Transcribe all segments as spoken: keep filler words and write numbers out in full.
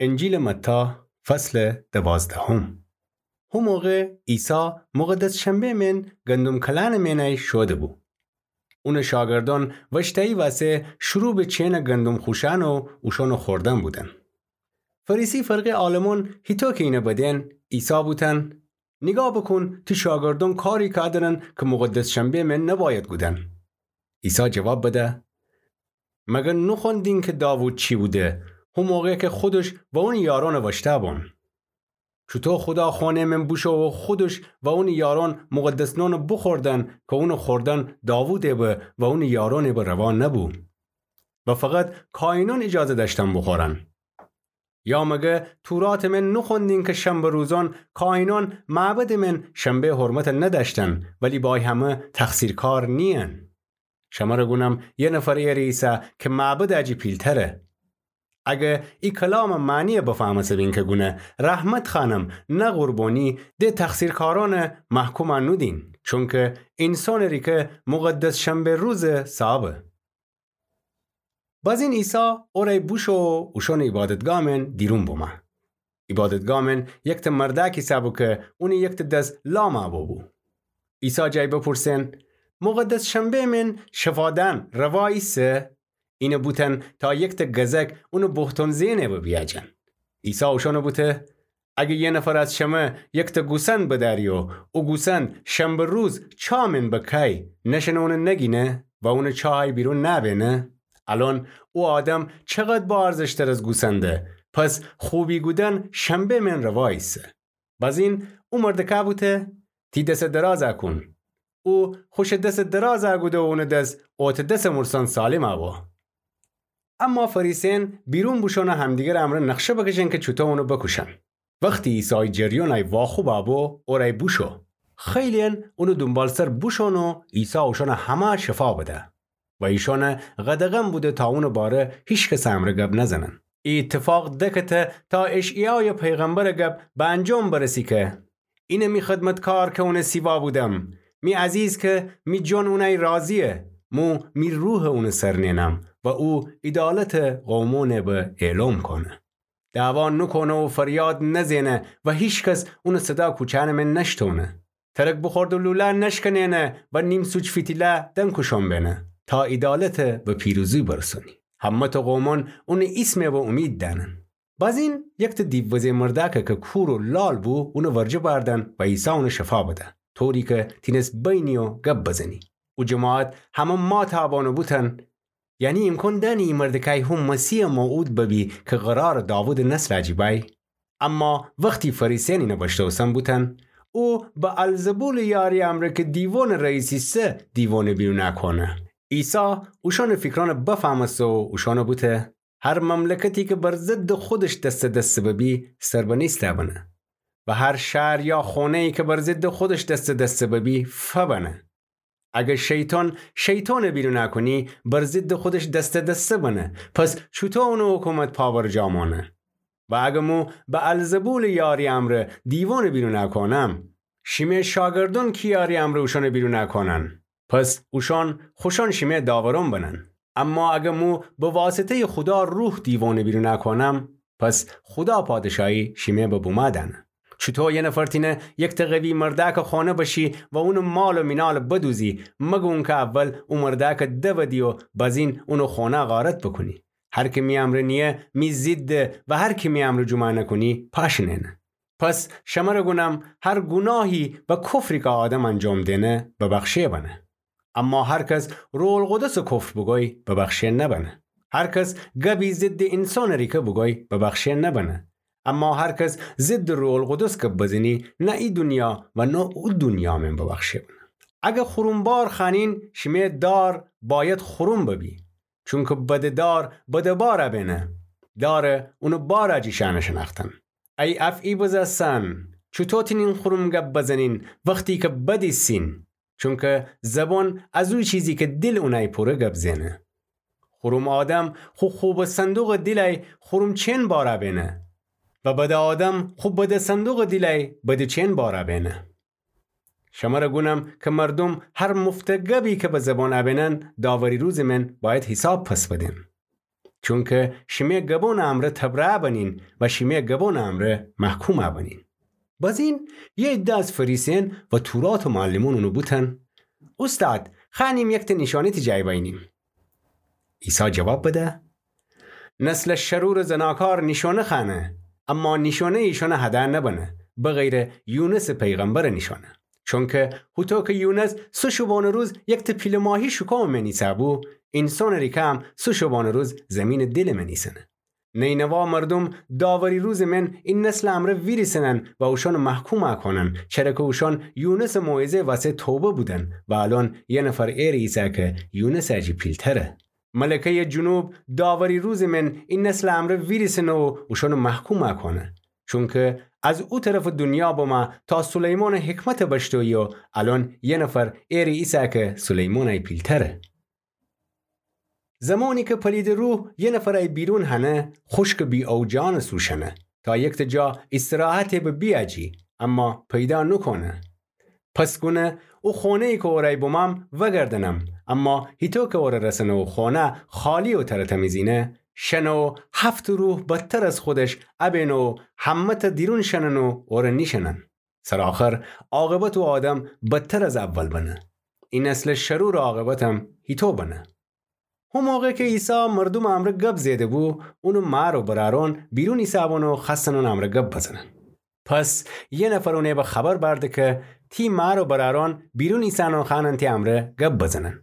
انجیلٚ متی، فصلٚ دوازدهم. هو موقع عیسی مقدس شنبه مئن گندم کلأنٚ مئنی شوده‌بو. اونٚ شاگردأن وأشتأیی وأسه شروع به چینٚ گندم خوشأن و اوشأنٚ خوردن بودن. فریسی فرقه‌یٚ عالمأن هیطو کی اینه بدین، عیسی بوتن: نیگاه بوکون، تی شاگردأن کاری کادرن کی مقدس شنبه مئن نبأید گودن. عیسی جواب بده: مگر نوخوأندین کی داوود چی بوده، هو موقع کی خودش و اونٚ یارأنٚ وأشتأ بون؟ چوطو خودا خانه مئن بوشو و خودش و اونٚ یارأن مقدس نانٚ بوخوردن کی اونٚ خوردن داوودٚ به و اونٚ یارأنٚ به روا نبو و فقط کاهینأن ایجازه دأشتن بوخورن؟ یا مگر توراتٚ مئن نوخوأندین کی شنبه روزأن کاهینأن معبدٚ مئن شنبه حرمت ندأشتن، ولی با ای همه تقصیرکار نیین؟ شمر گونم، یه نفر ایره ایسه کی معبدٚ جی پیلتره. اگر ای کلامٚ معنی بفهمسه‌بین کی گونه: رحمت خوأنم، نه قربانی، د تقصیرکارأن محکوم نودین، چونکی اینسانٚ ریکه مقدس شنبه روز صابه. بازین عیسی اورأی بوشو و اوشأنٚ عیبادتگاه مئن دیرون بومه. عیبادتگاه مئن یکته مردأکی ایسه‌بو کی اونٚ یکته دس لام ابو بو. عیسی جای بپورسن: مقدس شنبه مئن شفا دأن روا ایسه؟ اینه بوتن تا یکته گزک اونٚ بهتان زئنٚ به بیأجن. عیسی اوشأن بوته: اگر یه نفر از شمه یکته گوسند بدأری و او گوسند شنبه روز چاه مئن بکای، نشنه اون نگینه و اونٚ چاهی بیرون نأبئنه؟ الأن او آدم چقدر با ارزش‌تر از گوسنده. پس خوبی گودن شنبه مئن روا ایسه. بازین او مردکه بوته: تی دسه درازه کون. او خوشٚ دسه درازه گوده و اونٚ دس اوته دسٚ مورسان سالم ابو. اما فریسیأن بیرون بوشون و همدیگرٚ امرأ نقشه بکشن کی چوطو اونٚ بکوشن. وختی عیسی ای جریانٚ واخوب ابو، اورأی بوشو. خیلی‌یأن اونٚ دونبالسر بوشون و عیسی اوشأنٚ همه شفا بده و ایشأن قدغن بوده تا اونٚ باره هیکسٚ امرأ گب نزنن. ای ایتفاق دکته تا اشعیایٚ پیغمبرٚ گب به انجام برسی کی: اینه می خدمتکار کی اونٚ سیوا بودم، می عزیز کی می جان اونأی راضیه، مو می روحٚ اونٚ سر نئنم و او عیدالتٚ قومأنٚ به اعلام کونه. دعوا نوکونه و فریاد نزئنه و هیکس اونٚ صدا کوچه‌یأنٚ مئن نشتونه. ترک بوخورده لوله نشکنئنه و نیم‌سوج فیتیله دنکوشان بئنه، تا عیدالت به پیروزی برسونی. همه‌تأ قومأن اونٚ ایسمٚ به اومید دأنن. بازین یکتأ دیووزه مردأکه کی کور و لال بو، اونٚ ورجه بأردن و عیسی اونٚ شفا بده، طوری کی تینس بینی و گب بزنی. او جماعت همه ماتابأن و بوتن: یعنی ایمکان دأنی ای مردکأی هو مسیحٚ موعود ببی کی قرارٚ داوودٚ نسلٚ جی بأی؟ اما وختی فریسیأن اینه بشنوستن بوتن: او بألزبولٚ یاری امرأ کی دیوانٚ رئیس ایسه دیوانه بیرون کونه. عیسی اوشأنٚ فیکرأن بفهمسته و اوشأن بوته: هر مملکتی کی بر ضدٚ خودش دسته دسته ببی، سر به نیسته بنه. و هر شهر یا خانه‌یی کی بر ضدٚ خودش دسته دسته ببی، فبنه. اگر شیطان شیطان بیرون کونی، بر ضدٚ خودش دسته دسته بنه. پس چوطو اونٚ حکومت پابرجا مانه؟ و اگر مو بألزبولٚ یاری امرأ دیوان بیرون کونم، شیمه شاگردأن کی یاری امرأ اوشأن بیرون کونن؟ پس اوشأن خوشأن شیمه داورأن بنن. اما اگر مو به واسطه‌یٚ خودا روح دیوان بیرون کونم، پس خودا پادشاهی شیمه به بومأ دأنه. چوطو یه نفر تینه یکتأ قوی مردأکٚ خانه بشی و اونٚ مال و مینال بدوزی، مگه اونکه اول او مردأکٚ دودی و بازین اونٚ خانه غارت بوکونی؟ هر کی می امرأ نییه، می ضده و هر کی می امرأ جمعه نکونی، پاشٚ نئنه. پس شمر گونم، هر گوناهی و کفری کی آدم انجام دئنه، ببخشه بنه. اما هر کس روح‌القدسٚ کفر بوگوی، ببخشه نبنه. هر کس گبی ضدٚ اینسانٚ ریکه بوگوی، ببخشه نبنه. اما هر کس ضدٚ روح‌القدس گب بزنی، نه ای دونیا و نه او دونیا مئن ببخشه بنه. اگر خورم بار خوأنین، شیمه دار بأید خورم ببی. چونکی بده دار بده بار بئنه، دار اونٚ بار جی شأنه شنأختن. ای افعی بزه سن، چوطو تینین خورم گب بزنین وختی کی بد ایسین؟ چونکی زبان از او چیزی کی دیل اونی پوره گب زئنه. خورم آدم خو خوبٚ صندوقٚ دیلأی خورم چئن بار بئنه و بدٚ آدم خو بدٚ صندوقٚ دیلأی بدٚ چئن بار بئنه. شمر گونم کی مردوم هر مفتٚ گبی کی به زبان بئنن، داوری روزٚ مئن بأید حیساب پس بدن. چونکه شیمه گبونٚ امرأ تبرأه بنین و شیمه گبونٚ امرأ محکومه بنین. بزین یه عده از فریسیأن و توراتٚ معلمأن اونَ بوتن: اوستاد، خوأنیم یکته نیشأنه تی جای بأیینیم. عیسی جواب بده: نسلٚ شرورٚ زناکار نیشأنه خوأنه، اما نیشأنه ایشأنٚ هده نبنه، بغیرٚ یونسٚ پیغمبرٚ نیشأنه. چونکه هوطو که یونس سه شبانه روز یکته پیله ماهی شکومٚ من ایسه‌بو، اینسانٚ ریکه هم سه شبانه روز زیمینٚ دیلٚ من ایسه‌نه. نینوا مردوم داوری روزٚ من ای نسلٚ امرأ ویریسنن و اوشأنَ محکوم کونن، چره که اوشأن یونسٚ موعظه وسه توبه بودن و الأن یه نفر ائره ایسه که یونسٚ جی پیلتره. ملکه‌یٚ جنوب داوری روزٚ من ای نسلٚ امرأ ویریسنه و اوشأنَ محکوم کونه. چونکه از او طرفٚ دونیا بمه تا سلیمانٚ حکمتَ بشنوی و الأن یه نفر ائره ایسه که سلیمانٚ پیلتره. زمانی که پلیدٚ روح یه نفرَ بیرون هنه، خوشکٚ بی‌اوجانٚ سو شنه، تا یکته جا ایستراحتَ به بیأجی، اما پیدا نوکونه. پس گونه او خونه‌یی که اورأی بمم وأگردنم، اما هیطو که اورَ رسنه او خونه خالی و تره‌تمیزینه، شنه و هفت روح بدتر از خودش ابینه و همه‌تَ دیرون شنن و اورَ نیشنن. سرآخر عاقبت او آدم بدتر از اول بنه. ای نسلٚ شرورٚ عاقبتم هیطو بنه. هو موقع که عیسی مردومٚ امرأ گب زئیده‌بو، اونٚ مار و برأرأن بیرون ایسه‌بون و خوأستن اونٚ امرأ گب بزنن. پس یه نفر اونَ به خبر بأرده که تی مار و برأرأن بیرون ایسه‌ن و خوأنن تی امرأ گب بزنن.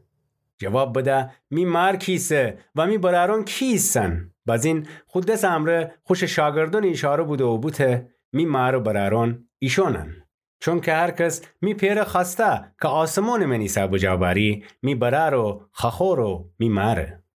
جواب بده: می مار کی ایسه و می برأرأن کی ایسن؟ بزین خو دسٚ امرأ خوشٚ شاگردأنَ ایشاره بوده و بوته: می مار و برأرأن ایشونن. چونکه هر کس می پئرَ خوأسته که آسمانٚ من ایسه بجا بأری، می برأر و خوأخور و می ماره.